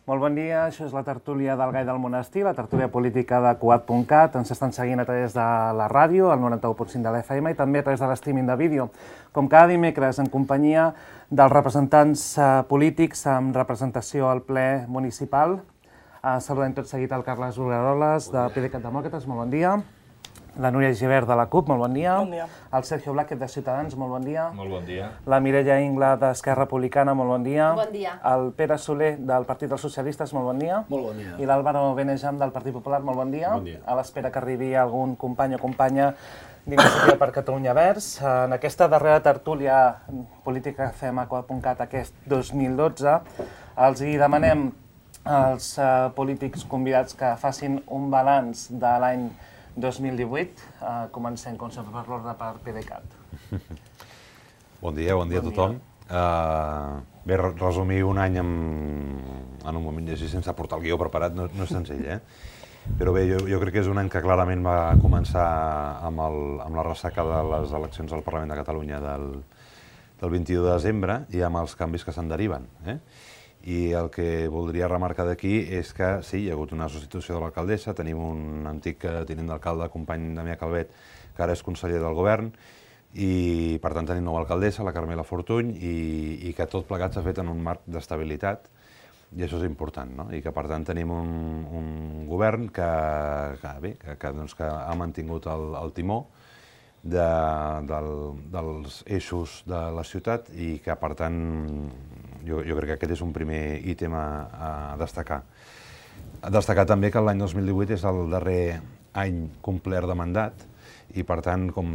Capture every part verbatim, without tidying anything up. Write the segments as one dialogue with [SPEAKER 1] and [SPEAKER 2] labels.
[SPEAKER 1] Molt bon dia, això és la tertúlia del Gai del Monestir, la tertúlia política de Cugat punt cat. Ens estan seguint a través de la ràdio, el noranta-u punt cinc de l'F M, i també a través de l'streaming de vídeo. Com cada dimecres, en companyia dels representants polítics amb representació al ple municipal. Saludem tot seguit el Carles Ugaroles, de PDeCAT Demòcrates, molt bon dia. La Núria Gibert, de la CUP, molt bon dia.
[SPEAKER 2] Bon dia.
[SPEAKER 1] El Sergio Blázquez, de Ciutadans, molt bon dia.
[SPEAKER 3] Molt bon dia.
[SPEAKER 1] La Mireia Ingla, d'Esquerra Republicana, molt bon dia.
[SPEAKER 4] Bon dia.
[SPEAKER 1] El Pere Soler, del Partit dels Socialistes, molt bon dia.
[SPEAKER 5] Molt bon dia.
[SPEAKER 1] I l'Àlvaro Benejam, del Partit Popular, molt bon dia.
[SPEAKER 5] Bon dia.
[SPEAKER 1] A l'espera que arribi algun company o companya d'Iniciativa per Catalunya Verds. En aquesta darrera tertúlia política que fem a Cugat punt cat aquest dos mil dotze, els hi demanem als uh, polítics convidats que facin un balanç de l'any dos mil divuit. Uh, comencem, com sempre, per l'ordre per PDeCAT.
[SPEAKER 3] Bon dia, bon dia a tothom. Uh, bé, resumir un any en, en un moment així sense portar el guió preparat no, no és senzill, eh? Però bé, jo, jo crec que és un any que clarament va començar amb, el, amb la ressaca de les eleccions al Parlament de Catalunya del, del vint-i-u de desembre i amb els canvis que se'n deriven, eh? I el que voldria remarcar d'aquí és que sí, hi ha hagut una substitució de l'alcaldessa, tenim un antic tinent d'alcalde, company Damià Calvet, que ara és conseller del govern, i per tant tenim nova alcaldessa, la Carmela Fortuny, i, i que tot plegat s'ha fet en un marc d'estabilitat, i això és important, no? I que per tant tenim un, un govern que, que, bé, que, que, doncs, que ha mantingut el, el timó de, del, dels eixos de la ciutat i que per tant jo, jo crec que aquest és un primer ítem a, a destacar. A destacar també que l'any dos mil divuit és el darrer any complert de mandat i per tant, com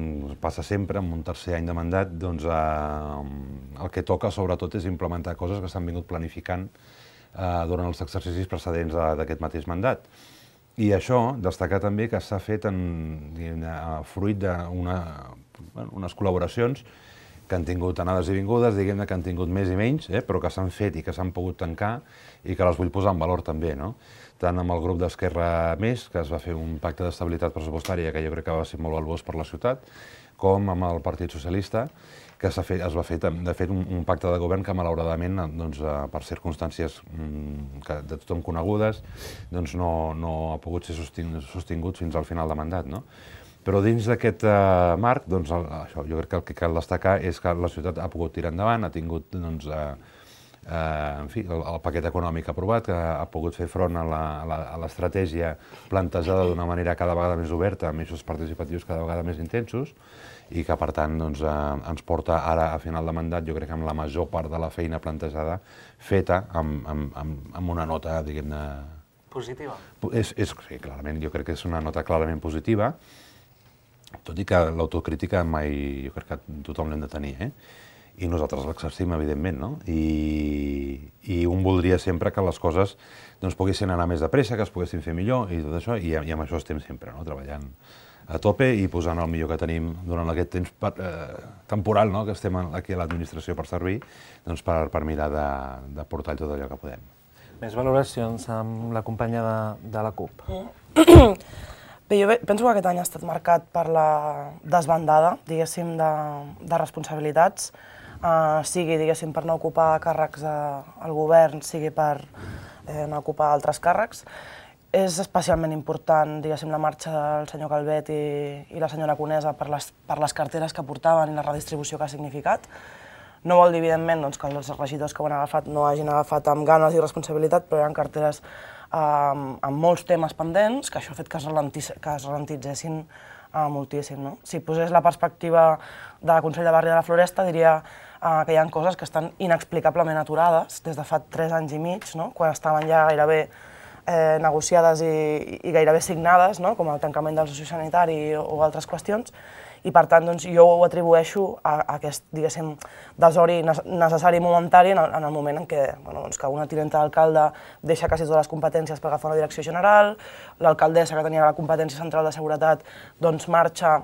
[SPEAKER 3] passa sempre, en un tercer any de mandat, doncs eh, el que toca sobretot és implementar coses que s'han vingut planificant eh, durant els exercicis precedents d'aquest mateix mandat. I això, destacar també que s'ha fet en, diguem, fruit d'unes col·laboracions que han tingut anades i vingudes, diguem que han tingut més i menys, eh, però que s'han fet i que s'han pogut tancar i que les vull posar en valor també, no? Tant amb el grup d'Esquerra Més, que es va fer un pacte d'estabilitat pressupostària que jo crec que va ser molt valuós per la ciutat, com amb el Partit Socialista, que fet, es va fer de fet un, un pacte de govern que malauradament, doncs, per circumstàncies mm, que de tothom conegudes, doncs no, no ha pogut ser sostingut fins al final de mandat, no? Però dins d'aquest uh, marc, doncs, el, això, jo crec que el que cal destacar és que la ciutat ha pogut tirar endavant, ha tingut doncs, uh, uh, en fi, el, el paquet econòmic aprovat, que ha pogut fer front a l'estratègia plantejada d'una manera cada vegada més oberta, amb eixos participatius cada vegada més intensos, i que, per tant, doncs, eh, ens porta ara a final de mandat, jo crec que amb la major part de la feina plantejada, feta amb, amb, amb, amb una nota, diguem-ne...
[SPEAKER 1] Positiva.
[SPEAKER 3] És, és, sí, clarament, jo crec que és una nota clarament positiva, tot i que l'autocrítica mai, jo crec que tothom l'hem de tenir, eh? I nosaltres l'exercim, evidentment, no? I, i un voldria sempre que les coses doncs, poguessin anar més de pressa, que es poguessin fer millor, i tot això, i, i amb això estem sempre, no? Treballant a tope i posant el millor que tenim durant aquest temps per, eh, temporal, no? Que estem aquí a l'administració per servir, doncs per, per mirar de, de portar tot allò que podem.
[SPEAKER 1] Més valoracions amb la companya de, de la CUP.
[SPEAKER 2] Bé, jo penso que aquest any ha estat marcat per la desbandada, diguéssim, de, de responsabilitats, eh, sigui, diguéssim, per no ocupar càrrecs al govern, sigui per eh, no ocupar altres càrrecs. És especialment important, diguéssim, la marxa del senyor Calvet i, i la senyora Conesa per les, per les carteres que portaven i la redistribució que ha significat. No vol dir, evidentment, doncs, que els regidors que ho han agafat no hagin agafat amb ganes i responsabilitat, però hi ha carteres eh, amb molts temes pendents, que això ha fet que es, ralentis, que es ralentitzessin eh, moltíssim, no? Si posés la perspectiva del Consell de Barri de la Floresta, diria eh, que hi ha coses que estan inexplicablement aturades des de fa tres anys i mig, no? Quan estaven ja gairebé Eh, negociades i, i gairebé signades, no? Com el tancament del sociosanitari o, o altres qüestions, i per tant doncs, jo ho atribueixo a, a aquest, diguéssim, desori necessari i momentari en el, en el moment en què, bueno, doncs, que una tinenta d'alcalde deixa quasi totes les competències per agafar una direcció general, l'alcaldessa que tenia la competència central de seguretat doncs marxa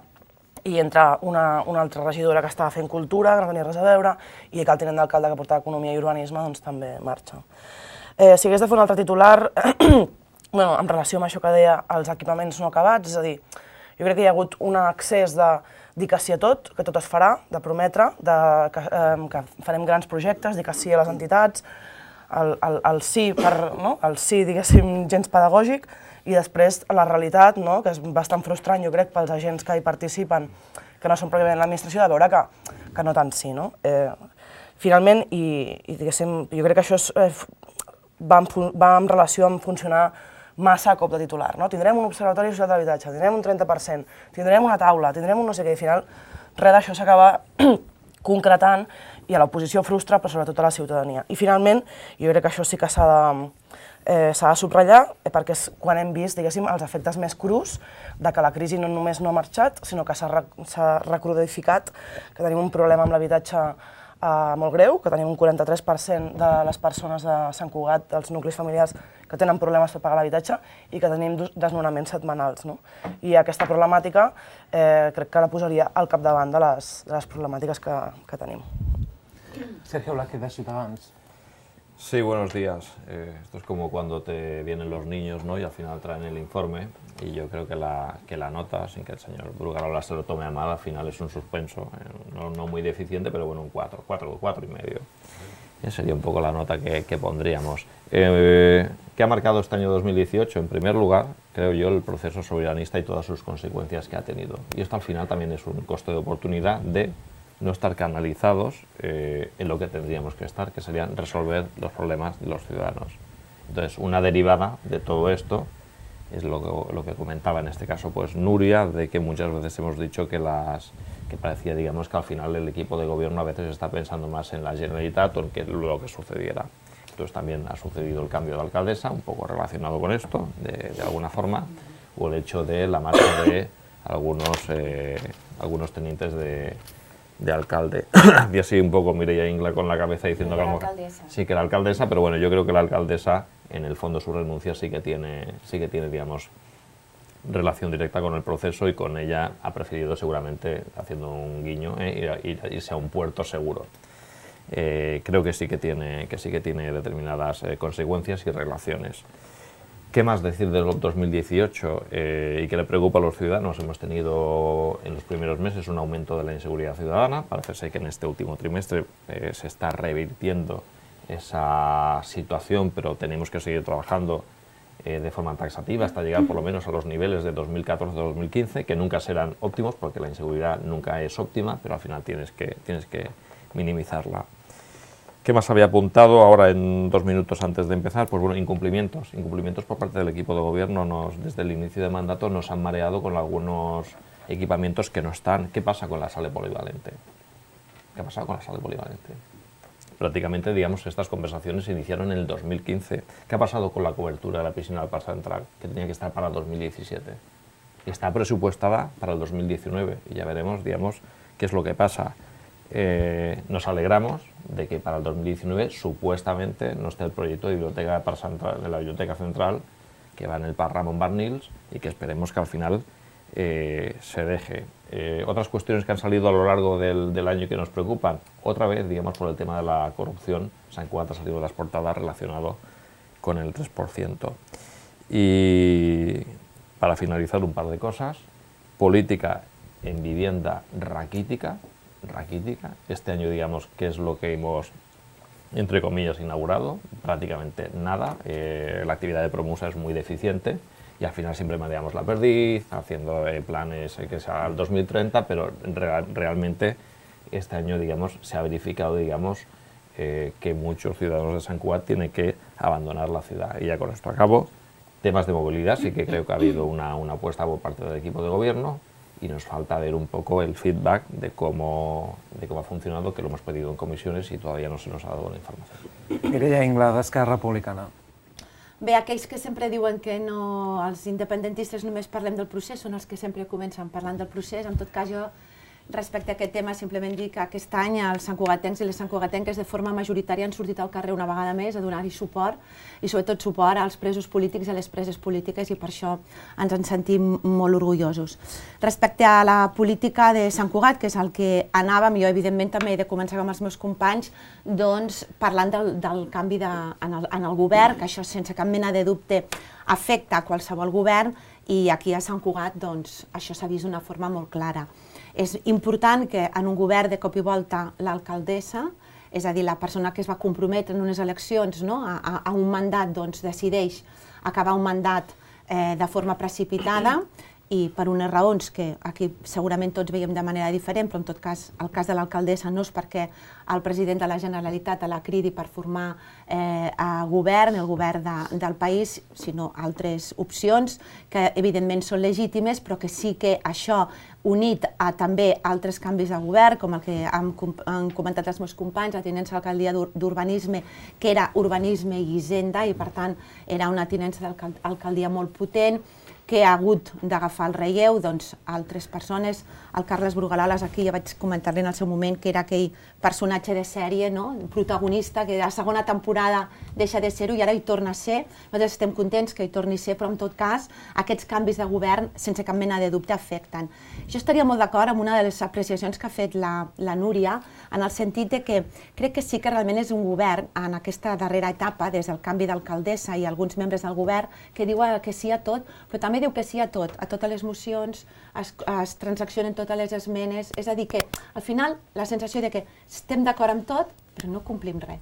[SPEAKER 2] i entra una, una altra regidora que estava fent cultura, que no tenia res a veure, i que el tinent d'alcalde que portava economia i urbanisme doncs, també marxa. Eh, si hagués de fer un altre titular, bueno, en relació amb això que deia, els equipaments no acabats, és a dir, jo crec que hi ha hagut un excés de dir que sí a tot, que tot es farà, de prometre, de, que, eh, que farem grans projectes, dir que sí a les entitats, el, el, el sí, per, no? el sí, diguéssim, gens pedagògic, i després la realitat, no? Que és bastant frustrant, jo crec, pels agents que hi participen, que no són pròpiament l'administració, de veure que, que no tant sí, no? Eh, finalment, i, i diguéssim, jo crec que això és, eh, va, en, va en relació amb funcionar massa a cop de titular, no? Tindrem un observatori social d'habitatge, tindrem un trenta per cent, tindrem una taula, tindrem un no sé què, i al final res d'això s'acaba concretant i a l'oposició frustra, però sobretot a la ciutadania. I finalment, jo crec que això sí que s'ha de, eh, s'ha de subratllar, eh, perquè és quan hem vist, diguéssim, els efectes més crus de que la crisi no només no ha marxat, sinó que s'ha recrudecificat, que tenim un problema amb l'habitatge Uh, molt greu, que tenim un quaranta-tres per cent de les persones de Sant Cugat, dels nuclis familiars, que tenen problemes per pagar l'habitatge i que tenim desnonaments setmanals. No? I aquesta problemàtica eh, crec que la posaria al capdavant de les, de les problemàtiques que, que tenim.
[SPEAKER 1] Sergio Blázquez, de Ciutadans.
[SPEAKER 4] Sí, buenos días. Eh, esto es como cuando te vienen los niños, ¿no? Y al final traen el informe y yo creo que la, que la nota, sin que el señor Brugarola se lo tome a mal, al final es un suspenso, eh, no, no muy deficiente, pero bueno, un cuatro, cuatro, cuatro y medio. Esa sería un poco la nota que, que pondríamos. Eh, ¿Qué ha marcado este año dos mil dieciocho? En primer lugar, creo yo, el proceso soberanista y todas sus consecuencias que ha tenido. Y esto al final también es un coste de oportunidad de no estar canalizados eh, en lo que tendríamos que estar, que serían resolver los problemas de los ciudadanos. Entonces, una derivada de todo esto es lo que, lo que comentaba en este caso pues Nuria, de que muchas veces hemos dicho que las que parecía, digamos, que al final el equipo de gobierno a veces está pensando más en la Generalitat o en que, lo que sucediera. Entonces también ha sucedido el cambio de alcaldesa, un poco relacionado con esto, de, de alguna forma, o el hecho de la marcha de algunos, eh, algunos tenientes de de alcalde. Y así un poco Mireia Ingla con la cabeza diciendo que a lo mejor sí que la alcaldesa, pero bueno, yo creo que la alcaldesa en el fondo su renuncia sí que tiene, sí que tiene, digamos, relación directa con el proceso y con ella ha preferido seguramente, haciendo un guiño, eh, ir, ir, irse a un puerto seguro. Eh, creo que sí que tiene, que sí que tiene determinadas eh, consecuencias y relaciones. ¿Qué más decir del dos mil dieciocho eh, y qué le preocupa a los ciudadanos? Hemos tenido en los primeros meses un aumento de la inseguridad ciudadana. Parece ser que en este último trimestre eh, se está revirtiendo esa situación, pero tenemos que seguir trabajando eh, de forma taxativa hasta llegar por lo menos a los niveles de dos mil catorce a dos mil quince, que nunca serán óptimos porque la inseguridad nunca es óptima, pero al final tienes que, tienes que minimizarla. ¿Qué más había apuntado ahora en dos minutos antes de empezar? Pues bueno, incumplimientos. Incumplimientos por parte del equipo de gobierno. Nos, desde el inicio de mandato nos han mareado con algunos equipamientos que no están. ¿Qué pasa con la sala polivalente? ¿Qué ha pasado con la sala polivalente? Prácticamente, digamos, estas conversaciones se iniciaron en el dos mil quince. ¿Qué ha pasado con la cobertura de la piscina del Parc Central? Que tenía que estar para el dos mil diecisiete. Está presupuestada para el dos mil diecinueve y ya veremos, digamos, qué es lo que pasa. Eh, nos alegramos de que para el dos mil diecinueve supuestamente no esté el proyecto de biblioteca de, Parc Central, de la Biblioteca Central, que va en el Parc Ramon Barnils, y que esperemos que al final eh, se deje. Eh, otras cuestiones que han salido a lo largo del, del año y que nos preocupan, otra vez, digamos, por el tema de la corrupción, Sant Cugat ha salido de las portadas relacionado con el tres por ciento. Y para finalizar, un par de cosas. Política en vivienda raquítica, raquítica. Este año, digamos, ¿qué es lo que hemos, entre comillas, inaugurado? Prácticamente nada. Eh, la actividad de Promusa es muy deficiente y al final siempre manejamos la perdiz, haciendo eh, planes eh, que sea al dos mil treinta, pero real, realmente este año, digamos, se ha verificado, digamos, eh, que muchos ciudadanos de Sant Cugat tienen que abandonar la ciudad. Y ya con esto acabo. Temas de movilidad, sí que creo que ha habido una, una apuesta por parte del equipo de gobierno. Y nos falta ver un poco el feedback de cómo, de cómo ha funcionado, que lo hemos pedido en comisiones y todavía no se nos ha dado la información.
[SPEAKER 1] Mireia Ingla, d'Esquerra Republicana.
[SPEAKER 5] Bé, aquells que sempre diuen que no, els independentistes només parlem del procés són els que sempre comencen parlant del procés. En tot cas, jo, respecte a aquest tema, simplement dir que aquest any els santcugatencs i les santcugatenques de forma majoritària han sortit al carrer una vegada més a donar-hi suport i sobretot suport als presos polítics i a les preses polítiques i per això ens en sentim molt orgullosos. Respecte a la política de Sant Cugat, que és el que anàvem, jo evidentment també he de començar amb els meus companys, doncs parlant del, del canvi de, en, el, en el govern, que això sense cap mena de dubte afecta a qualsevol govern i aquí a Sant Cugat doncs, això s'ha vist d'una forma molt clara. És important que en un govern de cop i volta l'alcaldessa és a dir, la persona que es va comprometre en unes eleccions, no? a, a, a un mandat, doncs decideix acabar un mandat eh, de forma precipitada, i per unes raons que aquí segurament tots veiem de manera diferent, però en tot cas el cas de l'alcaldessa no és perquè el president de la Generalitat la cridi per formar eh, a govern, el govern de, del país, sinó altres opcions que evidentment són legítimes, però que sí que això unit a també altres canvis de govern, com el que han, han comentat els meus companys, la tinença d'alcaldia d'urbanisme, que era urbanisme i hisenda, i per tant era una tinença d'alcaldia molt potent, que ha hagut d'agafar el relleu, doncs altres persones, el Carles Brugaloles, aquí ja vaig comentar-li en el seu moment que era aquell personatge de sèrie, no? Protagonista, que a la segona temporada deixa de ser-ho i ara hi torna a ser. Nosaltres estem contents que hi torni a ser, però en tot cas aquests canvis de govern sense cap mena de dubte afecten. Jo estaria molt d'acord amb una de les apreciacions que ha fet la, la Núria, en el sentit de que crec que sí que realment és un govern en aquesta darrera etapa, des del canvi d'alcaldessa i alguns membres del govern, que diu que sí a tot, però també diu que sí a tot, a totes les mocions, es, es transaccionen totes les esmenes, és a dir que al final la sensació de que estem d'acord amb tot, però no complim res.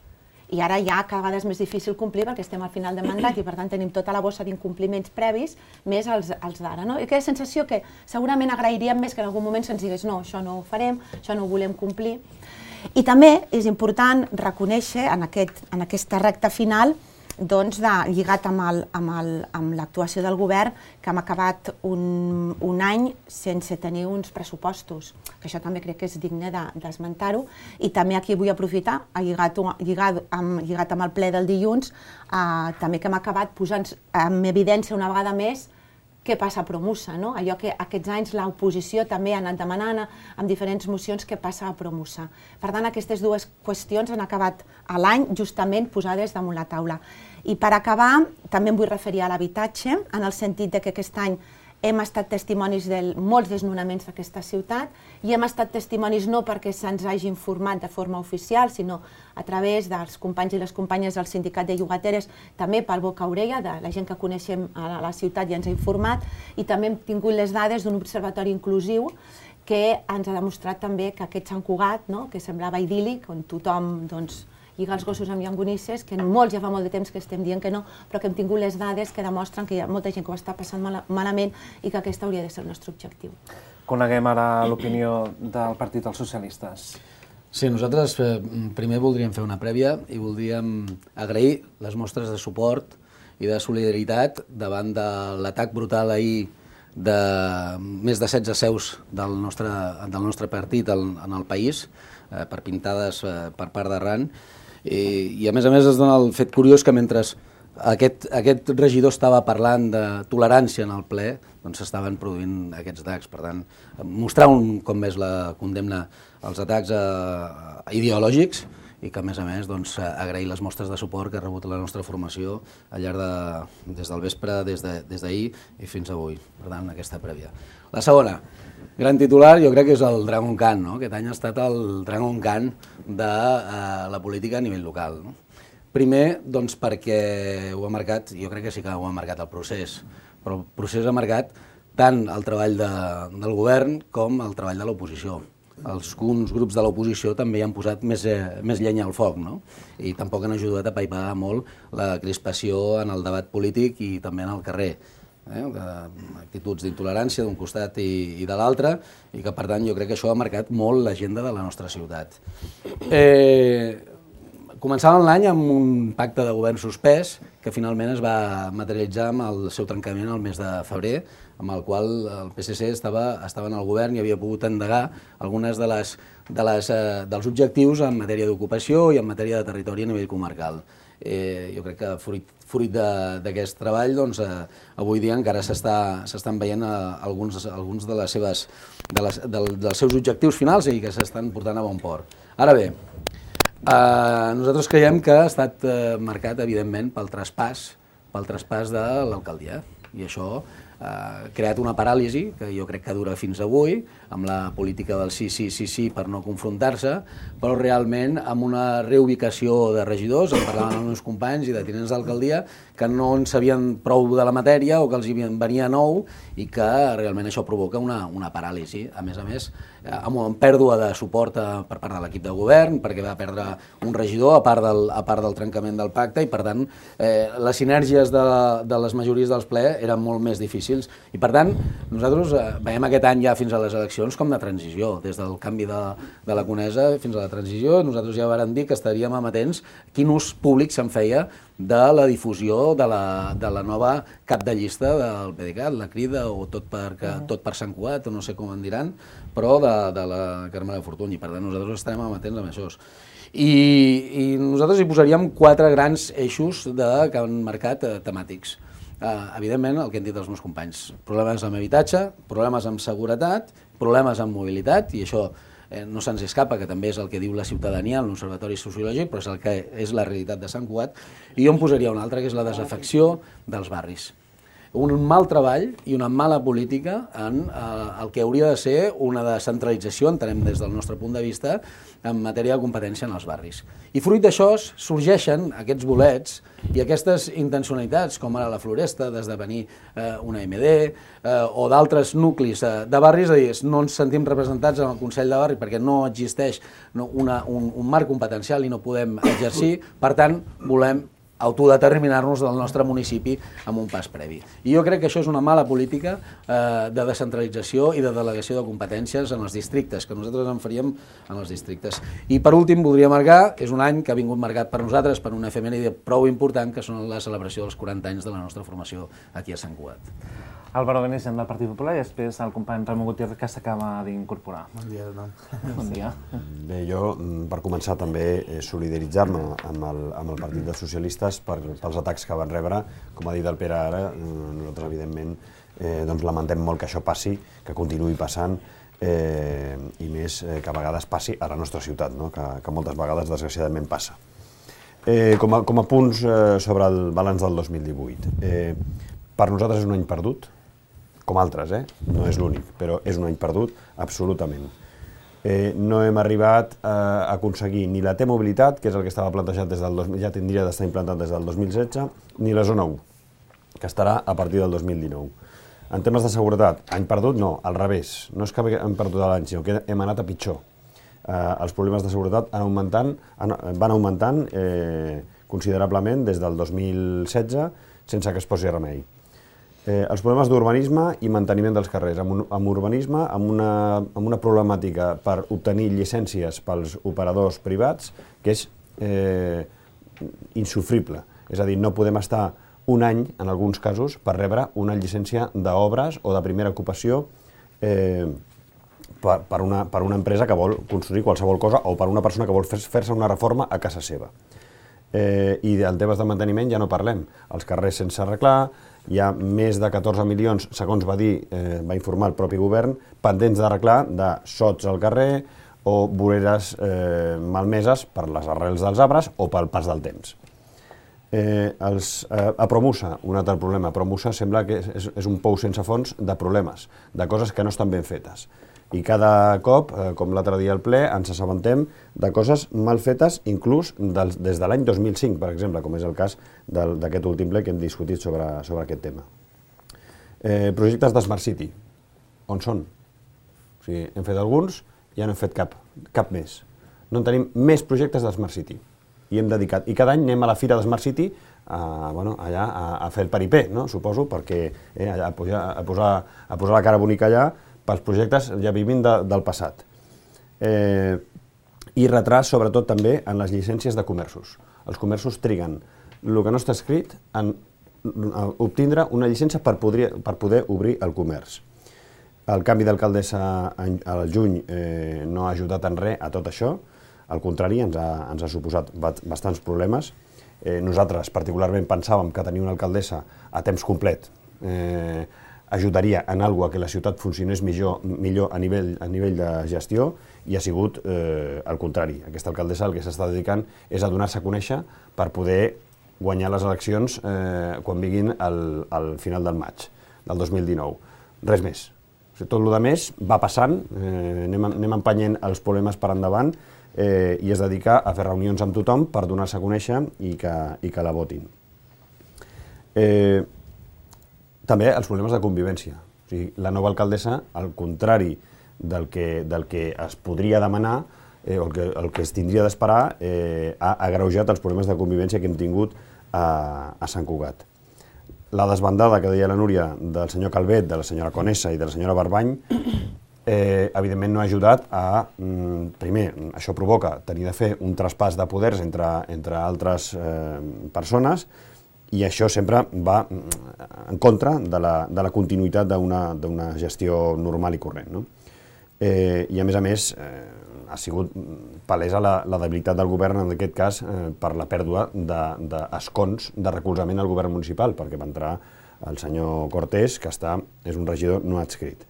[SPEAKER 5] I ara ja cada vegada és més difícil complir perquè estem al final de mandat i per tant tenim tota la bossa d'incompliments previs, més els, els d'ara. No? I aquella sensació que segurament agrairíem més que en algun moment se'ns digués no, això no ho farem, això no ho volem complir. I també és important reconèixer en, aquest, en aquesta recta final doncs, de, lligat amb l'actuació del govern, que hem acabat un, un any sense tenir uns pressupostos, que això també crec que és digne d'esmentar-ho, i també aquí vull aprofitar, lligat, lligat, amb, lligat amb el ple del dilluns, eh, també que hem acabat posant en evidència una vegada més què passa a Promusa, no? Allò que aquests anys l'oposició també ha anat demanant amb diferents mocions que passa a Promusa. Per tant, aquestes dues qüestions han acabat a l'any justament posades damunt la taula. I per acabar, també em vull referir a l'habitatge, en el sentit de que aquest any hem estat testimonis de molts desnonaments d'aquesta ciutat i hem estat testimonis no perquè se'ns hagi informat de forma oficial, sinó a través dels companys i les companyes del sindicat de llogateres, també pel boca a orella, de la gent que coneixem a la ciutat i ens ha informat, i també hem tingut les dades d'un observatori inclusiu que ens ha demostrat també que aquest Sant Cugat, no, que semblava idíl·lic, on tothom doncs, lligar els gossos amb llonganisses, que molts ja fa molt de temps que estem dient que no, però que hem tingut les dades que demostren que hi ha molta gent que ho està passant mal, malament i que aquest hauria de ser el nostre objectiu.
[SPEAKER 1] Coneguem ara l'opinió del Partit dels Socialistes.
[SPEAKER 6] Sí, nosaltres eh, primer voldríem fer una prèvia i voldríem agrair les mostres de suport i de solidaritat davant de l'atac brutal ahir de més de setze seus del nostre, del nostre partit en el país, eh, per pintades eh, per part d'Arran. I, I a més a més es dona el fet curiós que mentre aquest, aquest regidor estava parlant de tolerància en el ple, doncs s'estaven produint aquests atacs. Per tant, mostrar un cop més la condemna als atacs eh, ideològics i que a més a més doncs, agrair les mostres de suport que ha rebut la nostra formació al llarg de, des del vespre, des d'ahir i fins avui. Per tant, aquesta prèvia. La segona, gran titular, jo crec que és el Dragon Khan, no? Aquest any ha estat el Dragon Khan de eh, la política a nivell local. No? Primer, doncs perquè ho ha marcat, jo crec que sí que ho ha marcat el procés, però el procés ha marcat tant el treball de, del govern com el treball de l'oposició. Alguns grups de l'oposició també hi han posat més, eh, més llenya al foc, no? I tampoc han ajudat a paivar molt la crispació en el debat polític i també en el carrer. Eh, actituds d'intolerància d'un costat i, i de l'altre, i que per tant jo crec que això ha marcat molt l'agenda de la nostra ciutat. Eh, començàvem l'any amb un pacte de govern suspès que finalment es va materialitzar amb el seu trencament el mes de febrer, amb el qual el P S C estava, estava en el govern i havia pogut endegar algunes de les, de les, eh, dels objectius en matèria d'ocupació i en matèria de territori a nivell comarcal. Eh, jo crec que fruit, fruit d'aquest treball, doncs, eh, avui dia encara s'estan veient eh, alguns, alguns de les seves, de les, de, dels seus objectius finals i que s'estan portant a bon port. Ara bé, eh, nosaltres creiem que ha estat eh, marcat, evidentment, pel traspàs, pel traspàs de l'alcaldia. I això eh, creat una paràlisi, que jo crec que dura fins avui, amb la política del sí, sí, sí, sí, per no confrontar-se, però realment amb una reubicació de regidors, en parlaven els meus companys i de tinents d'alcaldia, que no en sabien prou de la matèria o que els hi venia nou i que realment això provoca una, una paràlisi. A més a més, amb, amb pèrdua de suport a, per part de l'equip de govern, perquè va perdre un regidor a part del, a part del trencament del pacte i, per tant, eh, les sinergies de, de les majories dels ple eren molt més difícils. I, per tant, nosaltres eh, veiem aquest any ja fins a les eleccions com de transició, des del canvi de, de la Conesa fins a la transició. Nosaltres ja vàrem dir que estaríem amatents quin ús públic se'n feia de la difusió de la, de la nova cap de llista del PDeCAT, la Crida, o tot per, que, tot per Sant Cugat, o no sé com en diran, però de, de la Carme de Fortuny. Per tant, nosaltres estarem amatents amb això. I, i nosaltres hi posaríem quatre grans eixos de, que han marcat eh, temàtics. Eh, evidentment, el que han dit els meus companys, problemes amb habitatge, problemes amb seguretat, problemes amb mobilitat, i això eh, no se'ns escapa, que també és el que diu la ciutadania en l'Observatori Sociològic, però és el que és la realitat de Sant Cugat, i jo en posaria una altra, que és la desafecció dels barris. Un mal treball i una mala política en eh, el que hauria de ser una descentralització, entenem des del nostre punt de vista, en matèria de competència en els barris. I fruit d'això sorgeixen aquests bolets i aquestes intencionalitats, com ara la Floresta, d'esdevenir eh, una M D, eh, o d'altres nuclis eh, de barris, és a dir, no ens sentim representats en el Consell de Barri perquè no existeix no, una, un, un marc competencial i no podem exercir, per tant, volem autodeterminar-nos del nostre municipi amb un pas previ. I jo crec que això és una mala política eh, de descentralització i de delegació de competències en els districtes, que nosaltres en faríem en els districtes. I per últim voldria marcar, és un any que ha vingut marcat per nosaltres per una efemèride prou important, que són la celebració dels quaranta anys de la nostra formació aquí a Sant Cugat.
[SPEAKER 1] Álvaro Benissem del Partit Popular i després el company Ramon Gutiérrez, que s'acaba d'incorporar.
[SPEAKER 7] Bon dia a tothom.
[SPEAKER 1] Bon dia.
[SPEAKER 7] Bé, jo, per començar, també solidaritzar-me amb, el, amb el Partit dels Socialistes per, pels atacs que van rebre. Com ha dit el Pere ara, nosaltres, evidentment, eh, doncs lamentem molt que això passi, que continuï passant, eh, i més eh, que a vegades passi a la nostra ciutat, no? que, que moltes vegades, desgraciadament, passa. Eh, com, a, com a punts eh, sobre el balanç del dos mil divuit. Eh, per nosaltres és un any perdut, com altres, eh? No és l'únic, però és un any perdut, absolutament. Eh, no hem arribat a aconseguir ni la T-mobilitat, que és el que estava plantejat des del dos mil, ja tindria d'estar implantat des del dos mil setze, ni la zona u, que estarà a partir del dos mil dinou. En temes de seguretat, any perdut no, al revés. No és que hem perdut l'any, sinó que hem anat a pitjor. Eh, els problemes de seguretat han augmentant, han, van augmentant eh, considerablement des del dos mil setze, sense que es posi remei. Eh, els problemes d'urbanisme i manteniment dels carrers. Amb, un, amb urbanisme, amb una, amb una problemàtica per obtenir llicències pels operadors privats que és eh, insufrible. És a dir, no podem estar un any, en alguns casos, per rebre una llicència d'obres o de primera ocupació eh, per, per, una, per una empresa que vol construir qualsevol cosa o per una persona que vol fer-se una reforma a casa seva. Eh, I en temes de manteniment ja no parlem. Els carrers sense arreglar, hi ha més de catorze milions, segons va dir, eh, va informar el propi govern, pendents d'arreglar de sots al carrer o voreres eh, malmeses per les arrels dels arbres o pel pas del temps. Eh, els, eh, a Promusa, un altre problema. A Promusa sembla que és, és un pou sense fons de problemes, de coses que no estan ben fetes. I cada cop, eh, com l'altre dia al ple, ens assabentem de coses mal fetes, inclús del, des de l'any dos mil cinc, per exemple, com és el cas d'aquest últim ple que hem discutit sobre, sobre aquest tema. Eh, projectes de Smart City, on són? O sigui, hem fet alguns, ja no hem fet cap, cap més. No en tenim més projectes de Smart City. I hem dedicat, i cada any anem a la fira de Smart City a, bueno, allà a, a fer el paripé, no? Suposo, perquè eh, allà, a, posar, a, posar, a posar la cara bonica allà pels projectes ja vivint de, del passat. Eh, I retras, sobretot, també en les llicències de comerços. Els comerços triguen el que no està escrit en obtindre una llicència per poder, per poder obrir el comerç. El canvi d'alcaldessa al juny eh, no ha ajudat en res a tot això, al contrari, ens ha, ens ha suposat bastants problemes. Eh, nosaltres, particularment, pensàvem que tenir una alcaldessa a temps complet eh, ajudaria en alguna cosa que la ciutat funcionés millor, millor a, nivell, a nivell de gestió, i ha sigut eh, el contrari. Aquesta alcaldessa el que s'està dedicant és a donar-se a conèixer per poder guanyar les eleccions eh, quan vinguin al, al final del maig. del dos mil dinou. Res més. O sigui, tot el que més va passant, eh, anem, anem empenyent els problemes per endavant eh, i es dedica a fer reunions amb tothom per donar-se a conèixer i que, i que la votin. Eh, també els problemes de convivència. O sigui, la nova alcaldessa, al contrari del que, del que es podria demanar, eh, o el que, el que es tindria d'esperar, eh, ha agreujat els problemes de convivència que hem tingut a, a Sant Cugat. La desbandada que deia la Núria del senyor Calvet, de la senyora Conesa i de la senyora Barbany, eh, evidentment no ha ajudat a, mm, primer, això provoca tenir de fer un traspàs de poders entre, entre altres eh, persones, i això sempre va en contra de la, de la continuïtat d'una gestió normal i corrent, no? Eh, I a més a més, eh, ha sigut palesa la, la debilitat del govern, en aquest cas, eh, per la pèrdua d'escons de, de, de recolzament al govern municipal, perquè va entrar el senyor Cortés, que està, és un regidor no adscrit.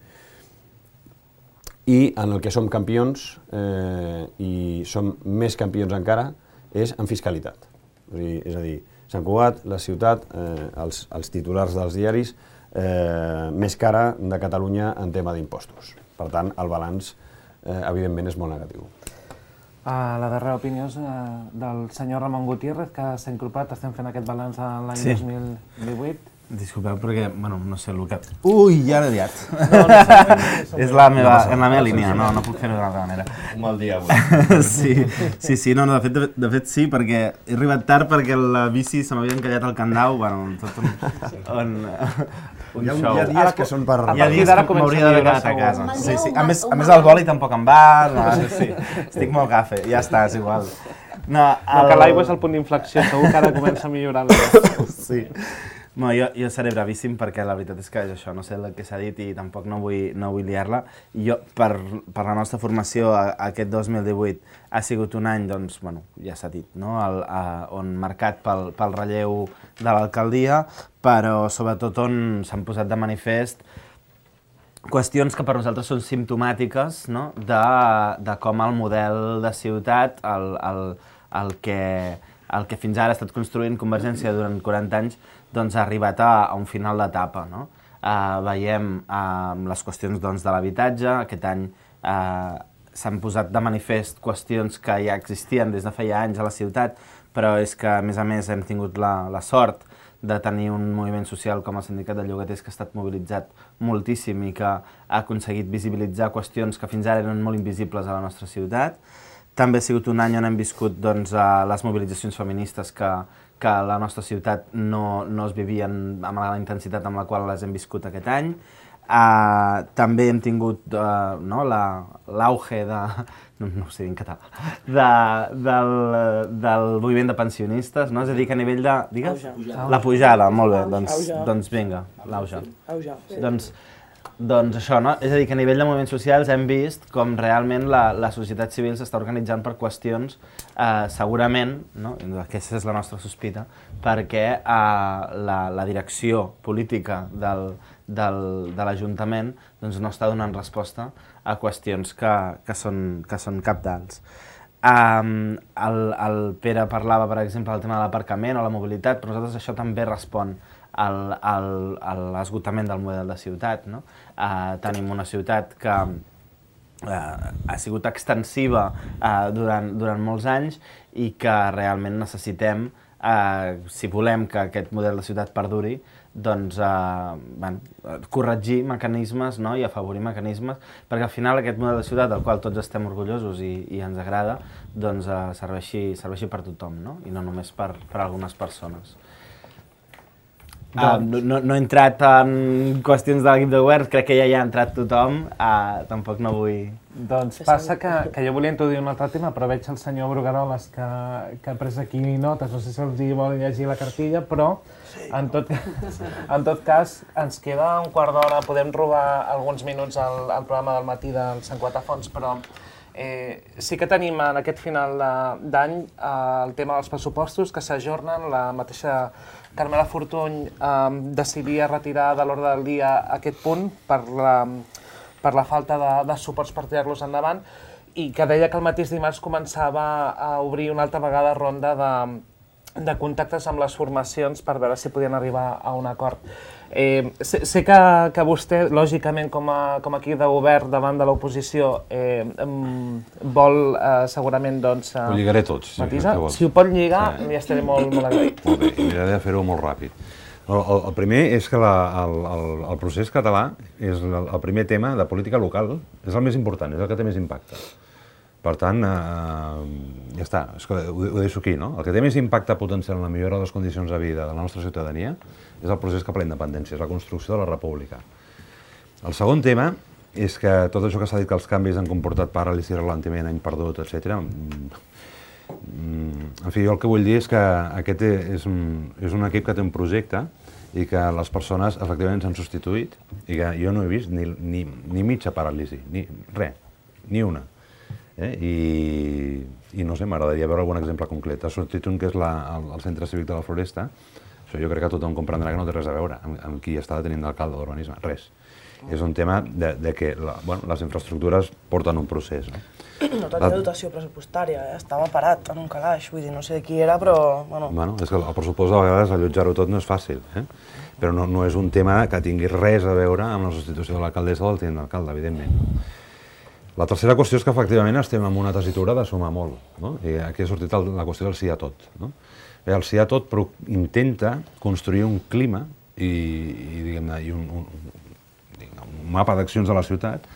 [SPEAKER 7] I en el que som campions, eh, i som més campions encara, és en fiscalitat. És a dir, és a dir Sant Cugat, la ciutat, eh, els, els titulars dels diaris, eh, més cara de Catalunya en tema d'impostos. Per tant, el balanç, eh, evidentment, és molt negatiu.
[SPEAKER 1] Uh, la darrera opinió és uh, del senyor Ramon Gutiérrez, que s'ha incorporat, estem fent aquest balanç a l'any sí. dos mil divuit.
[SPEAKER 8] Disculpeu, perquè, bueno, no sé el que... Ui, ja l'he liat.
[SPEAKER 1] No, no, no, no,
[SPEAKER 8] és la meva, en la meva línia, no, no puc fer-ho d'una altra manera.
[SPEAKER 4] Un mal dia avui.
[SPEAKER 8] sí, sí, sí, no, no, de fet, de, de fet sí, perquè he arribat tard perquè la bici se m'havia encallat al candau, bueno, tot un... on, un
[SPEAKER 7] hi ha,
[SPEAKER 8] show.
[SPEAKER 7] Hi ha dies que són per...
[SPEAKER 8] Hi ha dies que m'hauria d'haver quedat a casa. Sí, sí. A més, a més el boli tampoc em va, no, sí, sí. Estic molt gafe, ja està, és igual.
[SPEAKER 1] No, el... no que l'aigua és el punt d'inflexió, segur que ara comença a millorar.
[SPEAKER 8] Sí. No, jo, jo seré bravíssim perquè la veritat és que això no sé el que s'ha dit i tampoc no vull, no vull liar-la. Jo, per, per la nostra formació, a, aquest dos mil divuit ha sigut un any, doncs, bueno, ja s'ha dit, no? El, a, on marcat pel, pel relleu de l'alcaldia, però sobretot on s'han posat de manifest qüestions que per nosaltres són simptomàtiques, no? de, de com el model de ciutat, el, el, el, que, el que fins ara ha estat construint Convergència durant quaranta anys, doncs ha arribat a, a un final d'etapa, no? Uh, veiem uh, les qüestions doncs, de l'habitatge, aquest any uh, s'han posat de manifest qüestions que ja existien des de feia anys a la ciutat, però és que, a més a més, hem tingut la, la sort de tenir un moviment social com el Sindicat de Llogaters que ha estat mobilitzat moltíssim i que ha aconseguit visibilitzar qüestions que fins ara eren molt invisibles a la nostra ciutat. També ha sigut un any on hem viscut doncs, les mobilitzacions feministes que, que a la nostra ciutat no, no es vivien amb la intensitat amb la qual les hem viscut aquest any. Uh, també hem tingut uh, no, l'auge de... No, no ho sé en català, de, del, del moviment de pensionistes, no? És a dir, que a nivell de... Digues? Auge. La pujada, molt bé, doncs, doncs vinga, l'auge. Doncs, doncs això, no? És a dir, que a nivell de moviments socials hem vist com realment la, la societat civil s'està organitzant per qüestions, eh, segurament, no? Aquesta és la nostra sospita, perquè eh, la, la direcció política del, del, de l'Ajuntament doncs, no està donant resposta a qüestions que, que, són, que són cabdals. Um, el, el Pere parlava, per exemple, del tema de l'aparcament o la mobilitat, però nosaltres això també respon al, al, a l'esgotament del model de ciutat. No? Uh, tenim una ciutat que uh, ha sigut extensiva uh, durant, durant molts anys i que realment necessitem, uh, si volem que aquest model de ciutat perduri, doncs, eh, bueno, corregir mecanismes, no? I afavorir mecanismes, perquè al final aquest model de ciutat del qual tots estem orgullosos i, i ens agrada, doncs eh, serveixi, serveixi per tothom, no? I no només per, per algunes persones. Uh, no, no, no he entrat en qüestions de l'equip de govern, crec que ja hi ha entrat tothom, uh, tampoc no vull...
[SPEAKER 1] Doncs passa que, que jo volia introduir un altre tema, però veig el senyor Brugueroles que, que ha pres aquí notes, no sé si els hi vol llegir la cartilla, però en tot, en tot cas ens queda un quart d'hora, podem robar alguns minuts al, al programa del matí del Sant Cugat a Fons, però eh, sí que tenim en aquest final d'any eh, el tema dels pressupostos que s'ajornen, la mateixa Carmela Fortuny eh, decidia retirar de l'ordre del dia aquest punt per la, per la falta de, de suports per tirar-los endavant i que deia que el mateix dimarts començava a obrir una altra vegada ronda de, de contactes amb les formacions per veure si podien arribar a un acord. Eh, sé, sé que, que vostè, lògicament, com a, com a equip de govern davant de l'oposició, eh, vol eh, segurament, doncs... Eh,
[SPEAKER 3] ho lligaré tots,
[SPEAKER 1] si, si ho pot lligar, sí. Ja estaré molt, molt agraït.
[SPEAKER 3] Molt bé, miraré de fer-ho molt ràpid. El, el, el primer és que la, el, el, el procés català és el, el primer tema de política local, és el més important, és el que té més impacte. Per tant, eh, ja està, és que ho, ho deixo aquí, no? El que té més impacte potencial en la millora de les condicions de vida de la nostra ciutadania és el procés cap a la independència, és la construcció de la república. El segon tema és que tot això que s'ha dit que els canvis han comportat paràlisi, ralentiment, any perdut, etcètera. En fi, jo el que vull dir és que aquest és un, és un equip que té un projecte i que les persones efectivament s'han substituït i que jo no he vist ni, ni, ni mitja paràlisi, ni res, ni una. Eh? I, I no sé, m'agradaria veure algun exemple concret. Ha sortit un que és la, el, el Centre Cívic de la Floresta. Això jo crec que tothom comprendrà que no té res a veure amb, amb qui està detenint l'alcalde d'urbanisme. Res. És un tema de, de que la, bueno, les infraestructures porten un procés. No,
[SPEAKER 2] no tenia la... dotació pressupostària, eh? Estava parat en un calaix, vull dir, no sé de qui era, però... Bueno,
[SPEAKER 3] bueno és que el pressupost a vegades allotjar-ho tot no és fàcil, eh? Però no, no és un tema que tingui res a veure amb la substitució de l'alcaldessa o del tinent d'alcalde, evidentment. La tercera qüestió és que efectivament estem en una tessitura de sumar molt, no? I aquí ha sortit el, la qüestió del sí a tot, no? Bé, el sí a tot però intenta construir un clima i, i, diguem-ne, i un, un, un mapa d'accions de la ciutat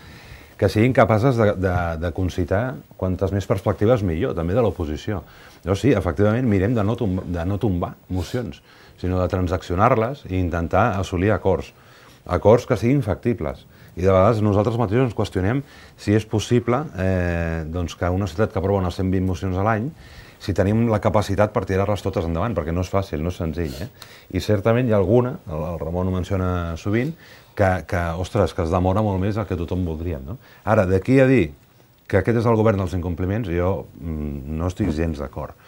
[SPEAKER 3] que siguin capaces de, de, de concitar quantes més perspectives millor, també de l'oposició. Llavors sí, efectivament, mirem de no, tombar, de no tombar mocions, sinó de transaccionar-les i intentar assolir acords, acords que siguin factibles. I de vegades nosaltres mateixos ens qüestionem si és possible eh, doncs que una ciutat que aprova unes cent vint mocions a l'any, si tenim la capacitat per tirar-les totes endavant, perquè no és fàcil, no és senzill. Eh? I certament hi ha alguna, el, el Ramon ho menciona sovint, que, que, ostres, que es demora molt més del que tothom voldríem. No? Ara, d'aquí a dir que aquest és el govern dels incompliments, jo mm, no estic gens d'acord.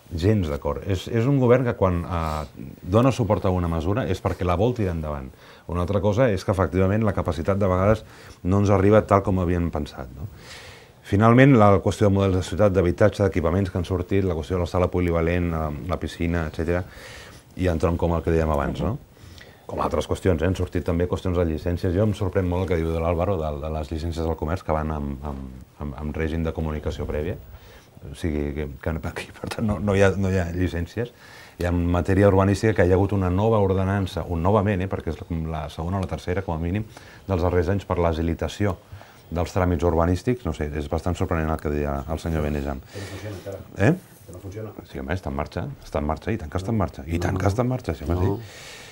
[SPEAKER 3] Gens d'acord. És, és un govern que quan eh, dona suport a una mesura és perquè la vol tirar endavant. Una altra cosa és que, efectivament, la capacitat de vegades no ens arriba tal com havíem pensat. No? Finalment, la qüestió de models de ciutat, d'habitatge, d'equipaments que han sortit, la qüestió de la sala polivalent, la piscina, etcètera, i en tronc com el que dèiem abans. No? Com altres qüestions, eh? Han sortit també qüestions de llicències. Jo em sorprèn molt el que diu de l'Àlvaro, de, de les llicències del comerç que van amb, amb, amb, amb règim de comunicació prèvia. O sigui, que, que aquí, per tant, no, no, hi ha, no hi ha llicències. I en matèria urbanística que hi ha hagut una nova ordenança, un novament, eh, perquè és la segona o la tercera, com a mínim, dels darrers anys per l'agilitació dels tràmits urbanístics. No sé, és bastant sorprenent el que deia el senyor Benejam.
[SPEAKER 7] Que no funciona encara.
[SPEAKER 3] Eh?
[SPEAKER 7] Que no funciona.
[SPEAKER 3] Sí, home, està en marxa, està en marxa, i tant que està en marxa, i tant que està en marxa, sí, home, sí.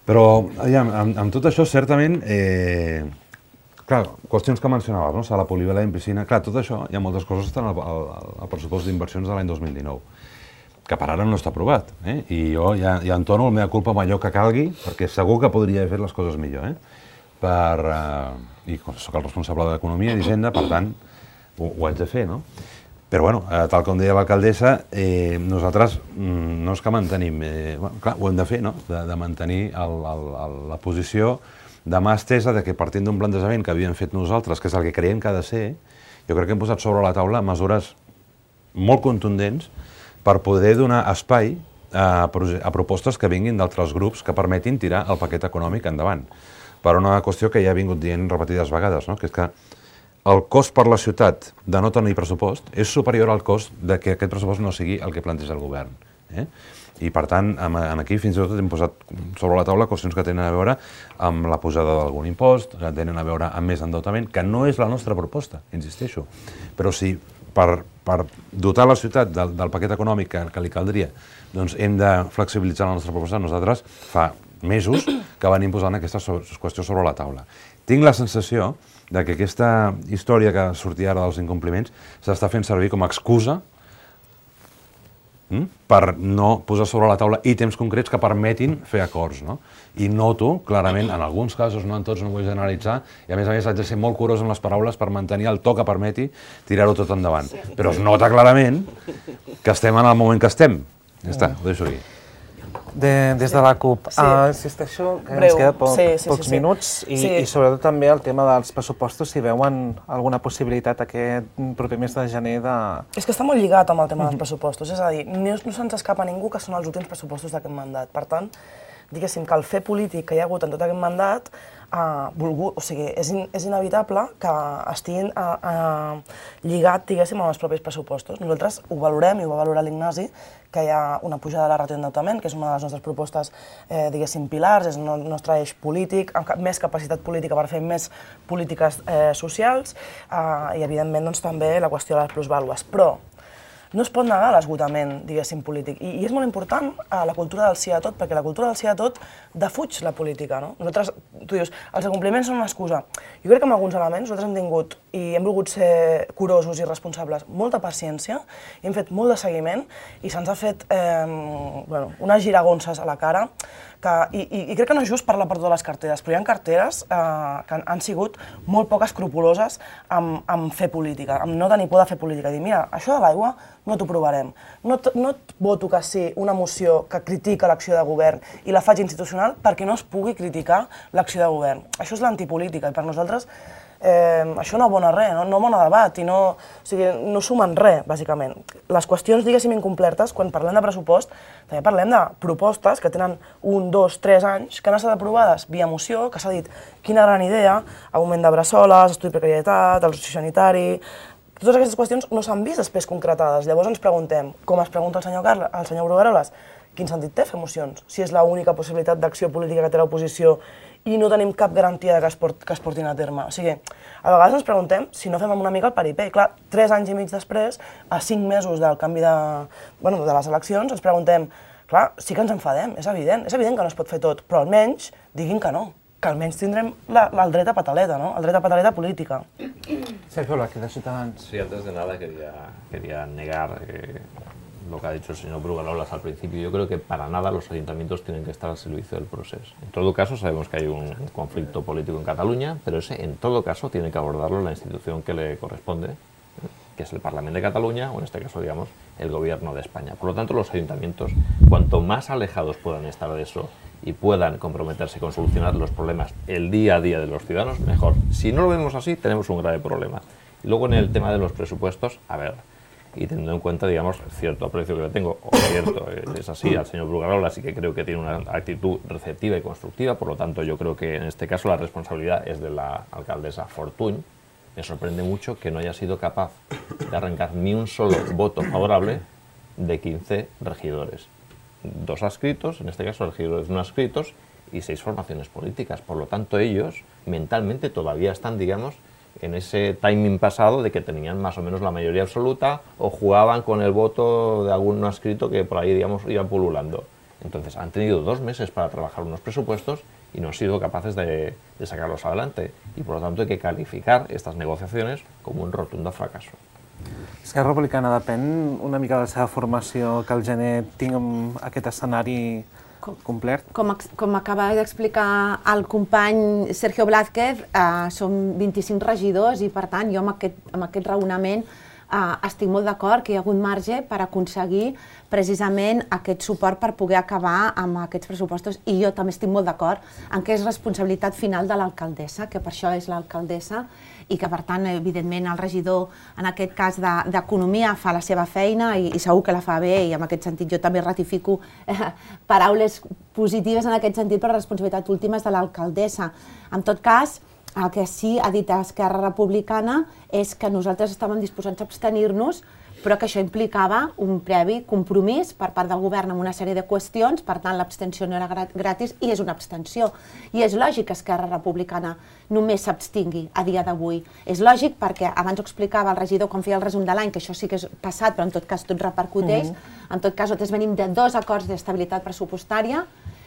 [SPEAKER 3] Però, aviam, amb, amb tot això, certament, eh, clar, qüestions que mencionaves, no? Sala polivalent, piscina, clar, tot això, hi ha moltes coses que estan al, al, al pressupost d'inversions de l'any dos mil dinou, que per ara no està aprovat, eh? I jo ja, ja entono la meva culpa amb allò que calgui, perquè segur que podria haver fet les coses millor, eh? Per, eh, I soc el responsable d'Economia i d'Hisenda, per tant, ho, ho haig de fer, no? Però, bueno, eh, tal com deia l'alcaldessa, eh, nosaltres mm, no és que mantenim, eh, bueno, clar, ho hem de fer, no? De, de mantenir el, el, el, la posició de mà estesa de que partint d'un plantejament que havíem fet nosaltres, que és el que creiem que ha de ser, jo crec que hem posat sobre la taula mesures molt contundents per poder donar espai a, a propostes que vinguin d'altres grups que permetin tirar el paquet econòmic endavant. Per una qüestió que ja he vingut dient repetides vegades, no? Que és que el cost per la ciutat de no tenir pressupost és superior al cost de que aquest pressupost no sigui el que planteja el govern. Eh? I, per tant, aquí fins i tot hem posat sobre la taula qüestions que tenen a veure amb la pujada d'algun impost, que tenen a veure amb més endeutament, que no és la nostra proposta, insisteixo. Però si per, per dotar la ciutat del, del paquet econòmic que, que li caldria, doncs hem de flexibilitzar la nostra proposta, nosaltres fa mesos que venim posant aquesta qüestió sobre la taula. Tinc la sensació de que aquesta història que sortia ara dels incompliments s'està fent servir com a excusa per no posar sobre la taula ítems concrets que permetin fer acords, no? I noto, clarament, en alguns casos, no en tots, no vull generalitzar, i a més a més haig de ser molt curós amb les paraules per mantenir el to que permeti tirar-ho tot endavant. Però es nota clarament que estem en el moment que estem. Ja està, ho deixo aquí.
[SPEAKER 1] des de la CUP.
[SPEAKER 2] Sí.
[SPEAKER 1] Uh, insisteixo que
[SPEAKER 2] Breu.
[SPEAKER 1] ens queda poc,
[SPEAKER 2] Sí, sí,
[SPEAKER 1] pocs
[SPEAKER 2] sí, sí.
[SPEAKER 1] minuts i,
[SPEAKER 2] Sí.
[SPEAKER 1] i sobretot també el tema dels pressupostos, si veuen alguna possibilitat aquest proper mes de gener de...
[SPEAKER 2] És que està molt lligat amb el tema dels pressupostos, és a dir, no, no se'ns escapa a ningú que són els últims pressupostos d'aquest mandat. Per tant, diguéssim que el fer polític que hi ha hagut en tot aquest mandat Uh, volgut, o sigui, és, in, és inevitable que estiguin uh, uh, lligat, diguéssim, amb els propis pressupostos. Nosaltres ho valorem, i ho va valorar l'Ignasi, que hi ha una pujada de la ràtio d'endeutament, que és una de les nostres propostes, eh, diguéssim, pilars, és el nostre eix polític, amb més capacitat política per fer més polítiques eh, socials, uh, i evidentment doncs, també la qüestió de les plusvàlues. Però no es pot negar l'esgotament, diguéssim, polític. I, I és molt important uh, la cultura del sí a tot, perquè la cultura del sí a tot defuig la política, no? Nosaltres, tu dius, els incompliments són una excusa. Jo crec que amb alguns elements nosaltres hem tingut i hem volgut ser curosos i responsables, molta paciència, i hem fet molt de seguiment, i se'ns ha fet eh, bueno, unes giragonses a la cara, que, i, i, i crec que no és just parlar per totes les carteres, però hi ha carteres eh, que han, han sigut molt poc escrupoloses amb, amb fer política, amb no tenir por de fer política. Dir, mira, això de l'aigua no t'ho provarem. No, no et voto que sí una moció que critica l'acció de govern i la faig institucional perquè no es pugui criticar l'acció de govern. Això és l'antipolítica, i per nosaltres eh, això no abona res, no, no abona debat, i no, o sigui, no sumen res, bàsicament. Les qüestions, diguéssim, incomplertes, quan parlem de pressupost, també parlem de propostes que tenen un, dos, tres anys, que han estat aprovades via moció, que s'ha dit quina gran idea, augment de bressoles, estudi de precarietat, el sociosanitari... Totes aquestes qüestions no s'han vist després concretades. Llavors ens preguntem, com es pregunta el senyor, Carles, el senyor Brugueroles, quin sentit té fer mocions? Si és l'única possibilitat d'acció política que té l'oposició i no tenim cap garantia que es, port, que es portin a terme. O sigui, a vegades ens preguntem si no fem una mica el paripé. Clar, tres anys i mig després, a cinc mesos del canvi de, bueno, de les eleccions, ens preguntem, clar, sí que ens enfadem, és evident, és evident que no es pot fer tot, però almenys diguin que no, que almenys tindrem la, la, el dret a pataleta, ¿no? El dret a pataleta política.
[SPEAKER 1] Sergio Blázquez, de Ciutadans.
[SPEAKER 4] Sí, antes de nada quería, quería negar eh, lo que ha dicho el señor Brugueroles al principio. Yo creo que para nada los ayuntamientos tienen que estar al servicio del proceso. En todo caso, sabemos que hay un conflicto político en Cataluña, pero ese, en todo caso, tiene que abordarlo la institución que le corresponde, que es el Parlamento de Cataluña, o en este caso, digamos, el Gobierno de España. Por lo tanto, los ayuntamientos, cuanto más alejados puedan estar de eso y puedan comprometerse con solucionar los problemas el día a día de los ciudadanos, mejor. Si no lo vemos así, tenemos un grave problema. Y luego, en el tema de los presupuestos, a ver, y teniendo en cuenta, digamos, cierto aprecio que le tengo, o cierto, es así, al señor Brugueroles, así que creo que tiene una actitud receptiva y constructiva, por lo tanto, yo creo que en este caso la responsabilidad es de la alcaldesa Fortuny. Me sorprende mucho que no haya sido capaz de arrancar ni un solo voto favorable de quince regidores. Dos adscritos, en este caso regidores no adscritos, y seis formaciones políticas. Por lo tanto, ellos mentalmente todavía están, digamos, en ese timing pasado de que tenían más o menos la mayoría absoluta o jugaban con el voto de algún no adscrito que por ahí, digamos, iba pululando. Entonces, han tenido dos meses para trabajar unos presupuestos y no han sido capaces de, de sacarlos adelante. Y por lo tanto hay que calificar estas negociaciones como un rotundo fracaso.
[SPEAKER 1] Esquerra Republicana depèn una mica de la seva formació que al gener tinguem aquest escenari complet?
[SPEAKER 5] Com, com acaba d'explicar el company Sergio Blázquez, eh, som vint-i-cinc regidors i, per tant, jo amb aquest, amb aquest raonament eh, estic molt d'acord que hi ha hagut marge per aconseguir precisament aquest suport per poder acabar amb aquests pressupostos, i jo també estic molt d'acord en que és responsabilitat final de l'alcaldessa, que per això és l'alcaldessa, i que, per tant, evidentment, el regidor, en aquest cas d'Economia, fa la seva feina i, i segur que la fa bé, i en aquest sentit jo també ratifico eh, paraules positives en aquest sentit, però la responsabilitat última és de l'alcaldessa. En tot cas, el que sí ha dit Esquerra Republicana és que nosaltres estàvem disposats a abstenir-nos, però que això implicava un previ compromís per part del govern amb una sèrie de qüestions, per tant l'abstenció no era gratis i és una abstenció. I és lògic que Esquerra Republicana només s'abstingui a dia d'avui. És lògic perquè abans ho explicava el regidor quan feia el resum de l'any, que això sí que és passat, però en tot cas tot repercuteix. En tot cas, nosaltres venim de dos acords d'estabilitat pressupostària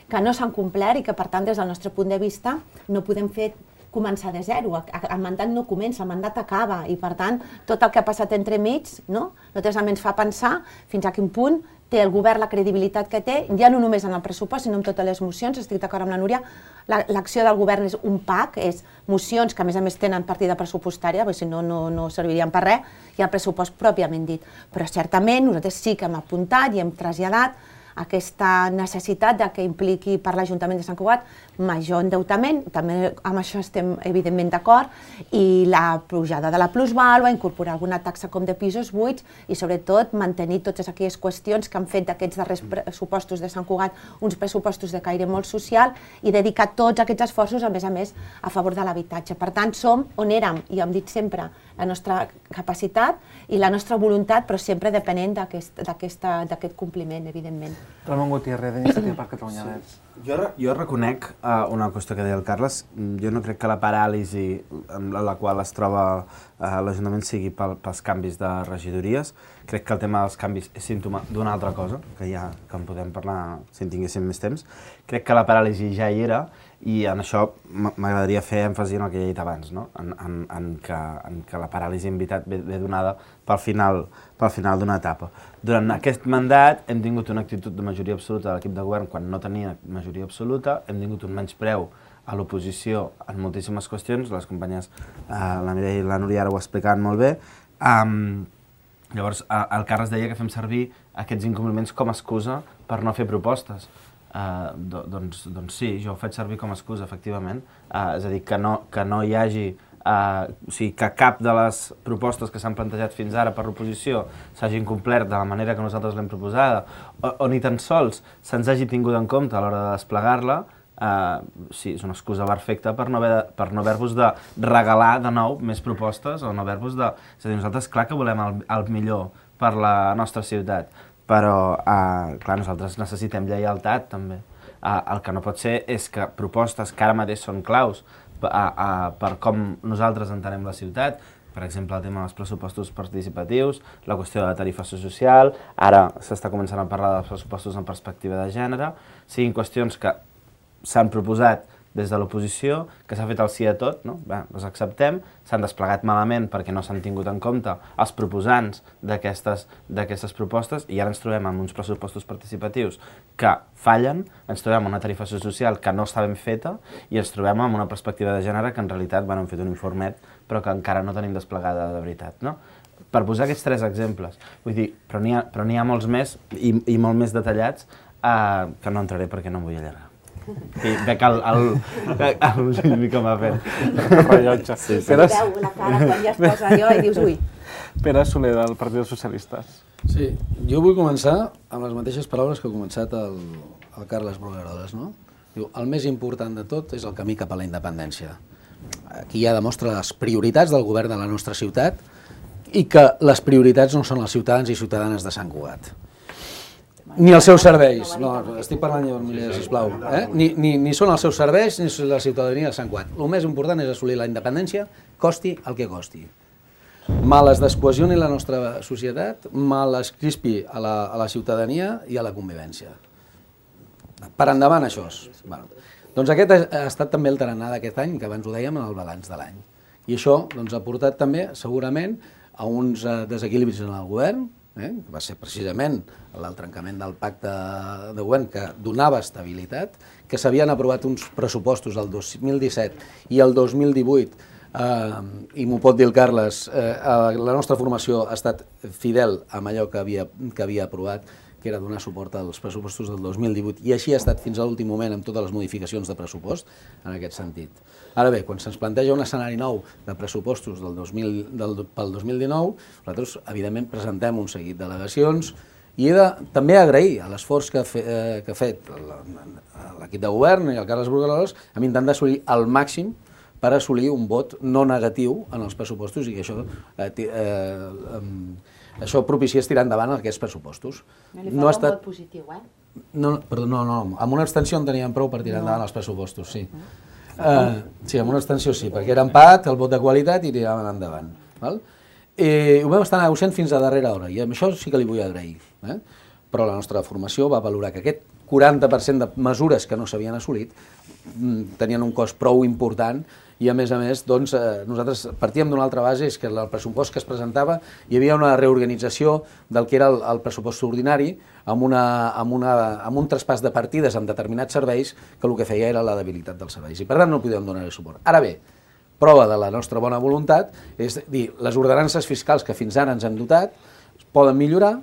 [SPEAKER 5] que no s'han complert i que, per tant, des del nostre punt de vista, no podem fer començar de zero. El mandat no comença, el mandat acaba, i per tant tot el que ha passat entremig, no? Nosaltres també ens fa pensar fins a quin punt té el govern la credibilitat que té, ja no només en el pressupost, sinó en totes les mocions. Estic d'acord amb la Núria, l'acció del govern és un pack, és mocions que a més a més tenen partida pressupostària, perquè si no, no servirien per res, i el pressupost pròpiament dit. Però certament nosaltres sí que hem apuntat i hem traslladat aquesta necessitat de que impliqui per l'Ajuntament de Sant Cugat major endeutament, també amb això estem evidentment d'acord, i la pujada de la plusvàlua, incorporar alguna taxa com de pisos buits i sobretot mantenir totes aquelles qüestions que han fet d'aquests darrers pressupostos de Sant Cugat uns pressupostos de caire molt social i dedicar tots aquests esforços, a més a més, a favor de l'habitatge. Per tant, som on érem, i hem dit sempre, la nostra capacitat i la nostra voluntat, però sempre depenent d'aquest compliment, evidentment.
[SPEAKER 1] Ramon Gutiérrez, d'Iniciativa per Catalunya Verds.
[SPEAKER 8] Jo, jo reconec uh, una qüestió que deia el Carles. Jo no crec que la paràlisi en la qual es troba uh, l'Ajuntament sigui pel, pels canvis de regidories. Crec que el tema dels canvis és símptoma d'una altra cosa, que ja que en podem parlar si en tinguéssim més temps. Crec que la paràlisi ja hi era i en això m'agradaria fer èmfasi en el que he dit abans, no? en, en, en, que, en que la paràlisi en veritat ve, ve donada pel final, pel final d'una etapa. Durant aquest mandat hem tingut una actitud de majoria absoluta de l'equip de govern quan no tenia majoria absoluta, hem tingut un menyspreu a l'oposició en moltíssimes qüestions, les companyes, eh, la Mireia i la Núria ara ho explicaven molt bé. Um, llavors, el Carles deia que fem servir aquests incompliments com a excusa per no fer propostes. Uh, do, doncs, doncs sí, jo ho faig servir com a excusa, efectivament. Uh, és a dir, que no, que no hi hagi... Uh, o sigui, que cap de les propostes que s'han plantejat fins ara per l'oposició s'hagin complert de la manera que nosaltres l'hem proposada, o, o ni tan sols se'ns hagi tingut en compte a l'hora de desplegar-la, uh, sí, és una excusa perfecta per no haver, per no haver-vos de regalar de nou més propostes, o no haver-vos de... És a dir, nosaltres clar que volem el, el millor per la nostra ciutat, però, uh, clar, nosaltres necessitem lleialtat, també. Uh, el que no pot ser és que propostes que ara mateix són claus uh, uh, per com nosaltres entenem la ciutat, per exemple, el tema dels pressupostos participatius, la qüestió de la tarifació social, ara s'està començant a parlar dels pressupostos en perspectiva de gènere, siguin qüestions que s'han proposat des de l'oposició, que s'ha fet el sí a tot, no? Bé, les acceptem, s'han desplegat malament perquè no s'han tingut en compte els proposants d'aquestes propostes i ara ens trobem amb uns pressupostos participatius que fallen, ens trobem amb una tarifació social que no està ben feta i ens trobem amb una perspectiva de gènere que en realitat bueno, hem fet un informet però que encara no tenim desplegada de veritat, no? Per posar aquests tres exemples, vull dir, però n'hi ha, però n'hi ha molts més i, i molt més detallats eh, que no entraré perquè no em vull allargar. I veig el, el, el Lluís com ha fet.
[SPEAKER 1] El rellotge.
[SPEAKER 5] Sí, sí. Pere... Veu la cara quan ja es posa allò i dius, ui.
[SPEAKER 1] Pere Soler, del Partit dels Socialistes.
[SPEAKER 6] Sí, jo vull començar amb les mateixes paraules que ha començat el, el Carles Brugueroles, no? Diu, el més important de tot és el camí cap a la independència. Aquí ja demostra les prioritats del govern de la nostra ciutat i que les prioritats no són els ciutadans i ciutadanes de Sant Cugat. Ni els seus serveis, no, estic parlant jo, Mireia, sisplau, eh? ni, ni, ni són els seus serveis ni la ciutadania de Sant Cugat. El més important és assolir la independència, costi el que costi. Mal es descohesioni la nostra societat, mal es crispi a la, a la ciutadania i a la convivència. Per endavant això. Bueno, doncs aquest ha estat també el tarannà d'aquest any, que abans ho dèiem en el balanç de l'any. I això doncs, ha portat també, segurament, a uns desequilibris en el govern, eh? que va ser precisament el trencament del pacte de govern que donava estabilitat, que s'havien aprovat uns pressupostos el dos mil disset i el dos mil divuit, eh, i m'ho pot dir el Carles, eh, la nostra formació ha estat fidel amb allò que havia, que havia aprovat, que era donar suport als pressupostos del dos mil divuit, i així ha estat fins a l'últim moment amb totes les modificacions de pressupost en aquest sentit. Ara bé, quan se'ns planteja un escenari nou de pressupostos del dos mil, del, pel dos mil dinou, nosaltres, evidentment, presentem un seguit d'al·legacions i he de també agrair l'esforç que, fe, eh, que ha fet l'equip de govern i el Carles Brugueroles amb intentar assolir al màxim per assolir un vot no negatiu en els pressupostos i que això... Eh, eh, eh, Això propiciés tirar endavant aquests pressupostos.
[SPEAKER 5] No li fa no un estat... vot positiu, eh?
[SPEAKER 6] No, perdó, no, no, amb una abstenció en teníem prou per tirar no. endavant els pressupostos, sí. Uh, sí, amb una abstenció sí, perquè era empat, el vot de qualitat i tiraven endavant. Val? I ho vam estar negociant fins a darrera hora, i amb això sí que li vull agrair. Eh? Però la nostra formació va valorar que aquest quaranta per cent de mesures que no s'havien assolit tenien un cost prou important i a més a més doncs, eh, nosaltres partíem d'una altra base, és que el pressupost que es presentava hi havia una reorganització del que era el, el pressupost ordinari amb, una, amb, una, amb un traspàs de partides amb determinats serveis que el que feia era la debilitat dels serveis i per tant no podíem donar-hi suport. Ara bé, prova de la nostra bona voluntat és dir, les ordenances fiscals que fins ara ens han dotat poden millorar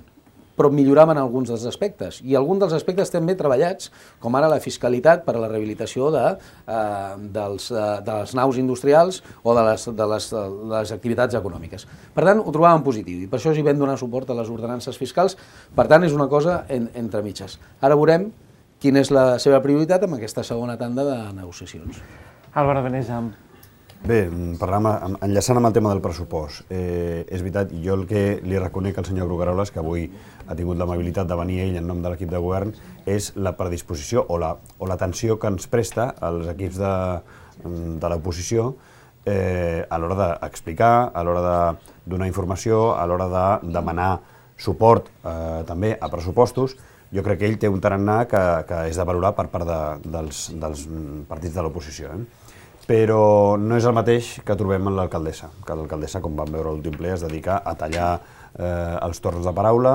[SPEAKER 6] però milloràvem en alguns dels aspectes. I alguns dels aspectes també treballats, com ara la fiscalitat per a la rehabilitació de, eh, dels, eh, de les naus industrials o de les, de, les, de les activitats econòmiques. Per tant, ho trobàvem positiu i per això hi vam donar suport a les ordenances fiscals. Per tant, és una cosa en, entre mitges. Ara veurem quina és la seva prioritat amb aquesta segona tanda de negociacions.
[SPEAKER 1] Álvaro Benejam.
[SPEAKER 7] Bé, parlant, enllaçant amb el tema del pressupost, eh, és veritat, jo el que li reconec al senyor Brugueroles, que avui ha tingut l'amabilitat de venir ell en nom de l'equip de govern, és la predisposició o la, o l'atenció que ens presta als equips de, de l'oposició eh, a l'hora d'explicar, a l'hora de donar informació, a l'hora de demanar suport eh, també a pressupostos. Jo crec que ell té un tarannà que, que és de valorar per part de, dels, dels partits de l'oposició. Eh? Però no és el mateix que trobem en l'alcaldessa, que l'alcaldessa, com vam veure a l'últim ple, es dedica a tallar eh, els torns de paraula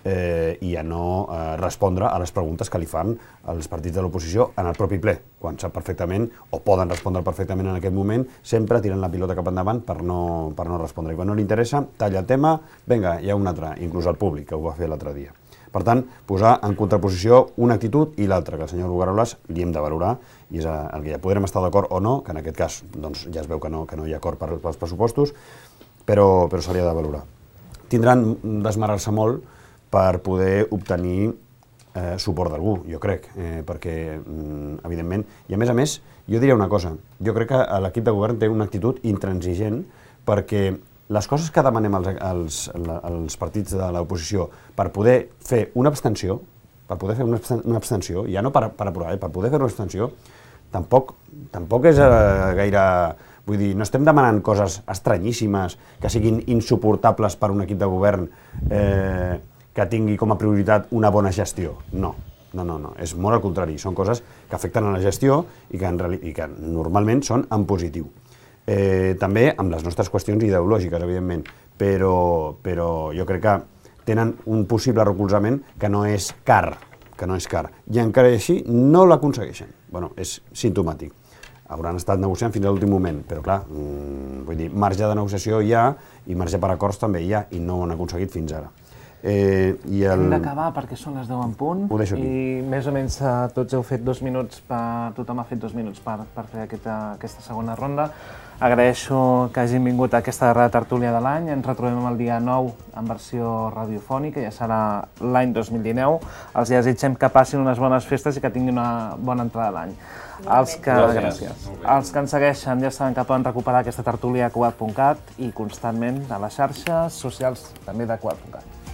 [SPEAKER 7] eh, i a no eh, respondre a les preguntes que li fan els partits de l'oposició en el propi ple, quan sap perfectament, o poden respondre perfectament en aquest moment, sempre tirant la pilota cap endavant per no, per no respondre. I quan no li interessa, talla el tema, vinga, hi ha un altre, inclús el públic, que ho va fer l'altre dia. Per tant, posar en contraposició una actitud i l'altra, que el senyor Brugueroles li hem de valorar, i és el que ja podrem estar d'acord o no, que en aquest cas doncs, ja es veu que no, que no hi ha acord per, pels pressupostos, però, però se li ha de valorar. Tindran d'esmerar-se molt per poder obtenir eh, suport d'algú, jo crec, eh, perquè, mm, evidentment, i a més a més, jo diria una cosa, jo crec que l'equip de govern té una actitud intransigent perquè les coses que demanem als, als, als partits de l'oposició per poder fer una abstenció, per poder fer una, una abstenció, ja no per, per aprovar, eh, per poder fer una abstenció, tampoc, tampoc és eh, gaire... Vull dir, no estem demanant coses estranyíssimes que siguin insuportables per un equip de govern eh, que tingui com a prioritat una bona gestió. No, no, no, no. És molt al contrari. Són coses que afecten a la gestió i que, en reali- i que normalment són en positiu. Eh, també amb les nostres qüestions ideològiques, evidentment, però, però jo crec que tenen un possible recolzament que no és car, que no és car, i encara així no l'aconsegueixen. Bueno, és simptomàtic. Hauran estat negociant fins a l'últim moment, però clar, mmm, vull dir, marge de negociació hi ha i marge per acords també hi ha i no ho han aconseguit fins ara. Eh, i el...
[SPEAKER 1] Hem d'acabar perquè són les deu en punt i més o menys eh, tots heu fet dos minuts, per, tothom ha fet dos minuts per, per fer aquesta, aquesta segona ronda. Agraeixo que hagin vingut a aquesta darrera tertúlia de l'any. Ens retrobem el dia nou en versió radiofònica, ja serà l'any dos mil dinou. Els desitgem que passin unes bones festes i que tinguin una bona entrada a l'any. Els que, gràcies. Els que ens segueixen ja saben que poden recuperar aquesta tertúlia a cugat punt cat i constantment a les xarxes socials també de cugat punt cat.